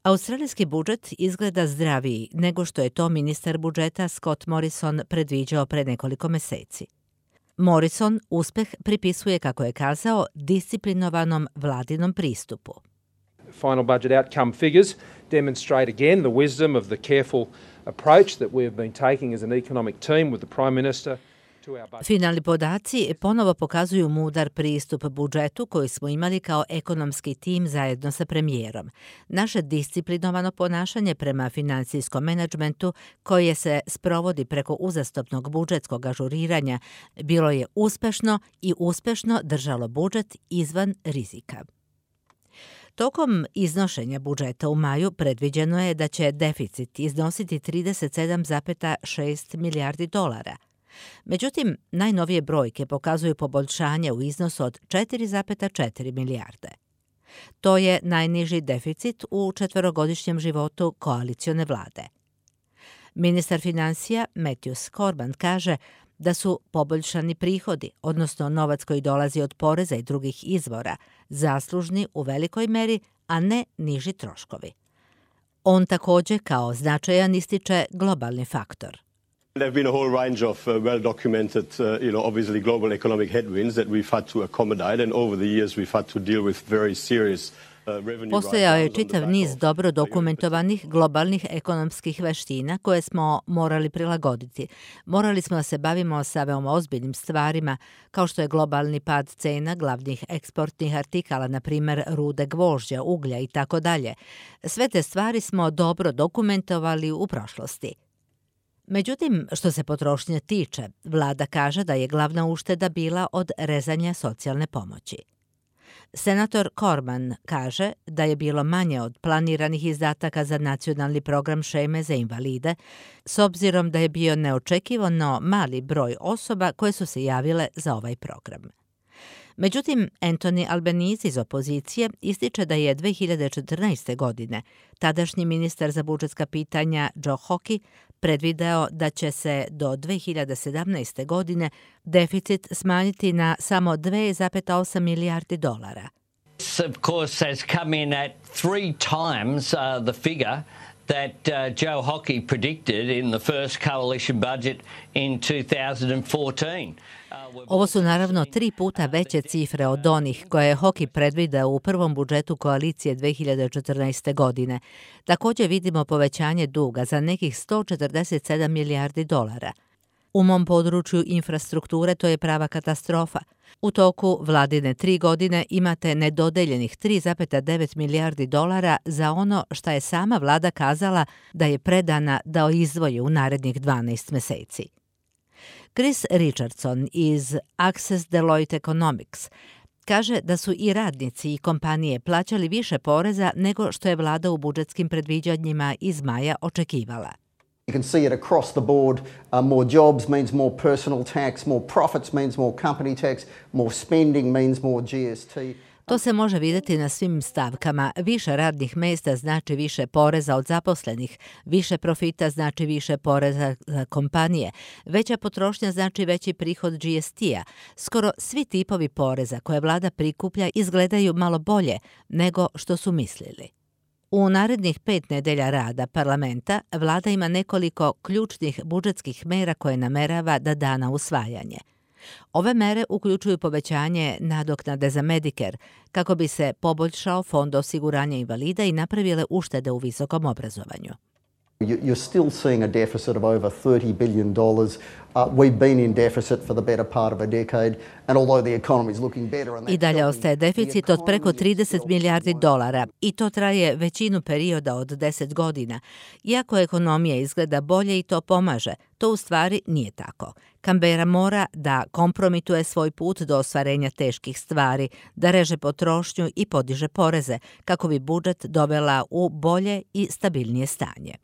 Australijski budžet izgleda zdraviji nego što je to ministar budžeta Scott Morrison predviđao pre nekoliko meseci. Morrison uspeh pripisuje, kako je kazao, disciplinovanom vladinom pristupu. Final budget outcome figures demonstrate again the wisdom of the careful approach that we have been taking as an economic team with the Prime Minister. Finalni podaci ponovo pokazuju mudar pristup budžetu koji smo imali kao ekonomski tim zajedno sa premijerom. Naše disciplinovano ponašanje prema financijskom menadžmentu, koje se sprovodi preko uzastopnog budžetskog ažuriranja, bilo je uspešno i uspešno držalo budžet izvan rizika. Tokom iznošenja budžeta u maju predviđeno je da će deficit iznositi 37,6 milijardi dolara. Međutim, najnovije brojke pokazuju poboljšanje u iznosu od 4,4 milijarde. To je najniži deficit u četverogodišnjem životu koalicione vlade. Ministar finansija Matthew Cormann kaže da su poboljšani prihodi, odnosno novac koji dolazi od poreza i drugih izvora, zaslužni u velikoj meri, a ne niži troškovi. On takođe kao značajan ističe globalni faktor. There have been a whole range of well-documented, obviously global economic headwinds that we've had to accommodate, and over the years we've had to deal with very serious Postojao je čitav niz dobro dokumentovanih globalnih ekonomskih veština koje smo morali prilagoditi. Morali smo da se bavimo sa veoma ozbiljnim stvarima, kao što je globalni pad cena glavnih eksportnih artikala, na primer rude gvožđa, uglja i tako dalje. Sve te stvari smo dobro dokumentovali u prošlosti. Međutim, što se potrošnje tiče, vlada kaže da je glavna ušteda bila od rezanja socijalne pomoći. Senator Cormann kaže da je bilo manje od planiranih izdataka za nacionalni program šeme za invalide, s obzirom da je bio neočekivano mali broj osoba koje su se javile za ovaj program. Međutim, Anthony Albanese iz opozicije ističe da je 2014. godine tadašnji ministar za budžetska pitanja Joe Hockey predvideo da će se do 2017. godine deficit smanjiti na samo 2,8 milijardi dolara. This, of course, has come in at 3 times the figure that Joe Hockey predicted in the first coalition budget in 2014. Ovo su naravno 3 puta veće cifre od onih koje je Hockey predvideo u prvom budžetu koalicije 2014. godine. Također vidimo povećanje duga za nekih 147 milijardi dolara. U mom području infrastrukture to je prava katastrofa. U toku vladine 3 godine imate nedodeljenih 3,9 milijardi dolara za ono šta je sama vlada kazala da je predana da izdvoji u narednih 12 meseci. Chris Richardson iz Access Deloitte Economics kaže da su i radnici i kompanije plaćali više poreza nego što je vlada u budžetskim predviđanjima iz maja očekivala. You can see it across the board. More jobs means more personal tax, more profits means more company tax, more spending means more GST. To se može vidjeti na svim stavkama. Više radnih mesta znači više poreza od zaposlenih, više profita znači više poreza za kompanije, veća potrošnja znači veći prihod GST-a. Skoro svi tipovi poreza koje vlada prikuplja izgledaju malo bolje nego što su mislili. U narednih 5 nedelja rada parlamenta vlada ima nekoliko ključnih budžetskih mera koje namerava da da na usvajanje. Ove mere uključuju povećanje nadoknade za Medicare kako bi se poboljšao fond osiguranja invalida i napravile uštede u visokom obrazovanju. You're still seeing a deficit of over $30 billion. We've been in deficit for the better part of a decade, and although the economy is looking better... I dalje ostaje deficit od preko 30 milijardi dolara i to traje većinu perioda od 10 godina. Iako ekonomija izgleda bolje i to pomaže, to u stvari nije tako. Canberra mora da kompromituje svoj put do ostvarenja teških stvari, da reže potrošnju i podiže poreze kako bi budžet dovela u bolje i stabilnije stanje.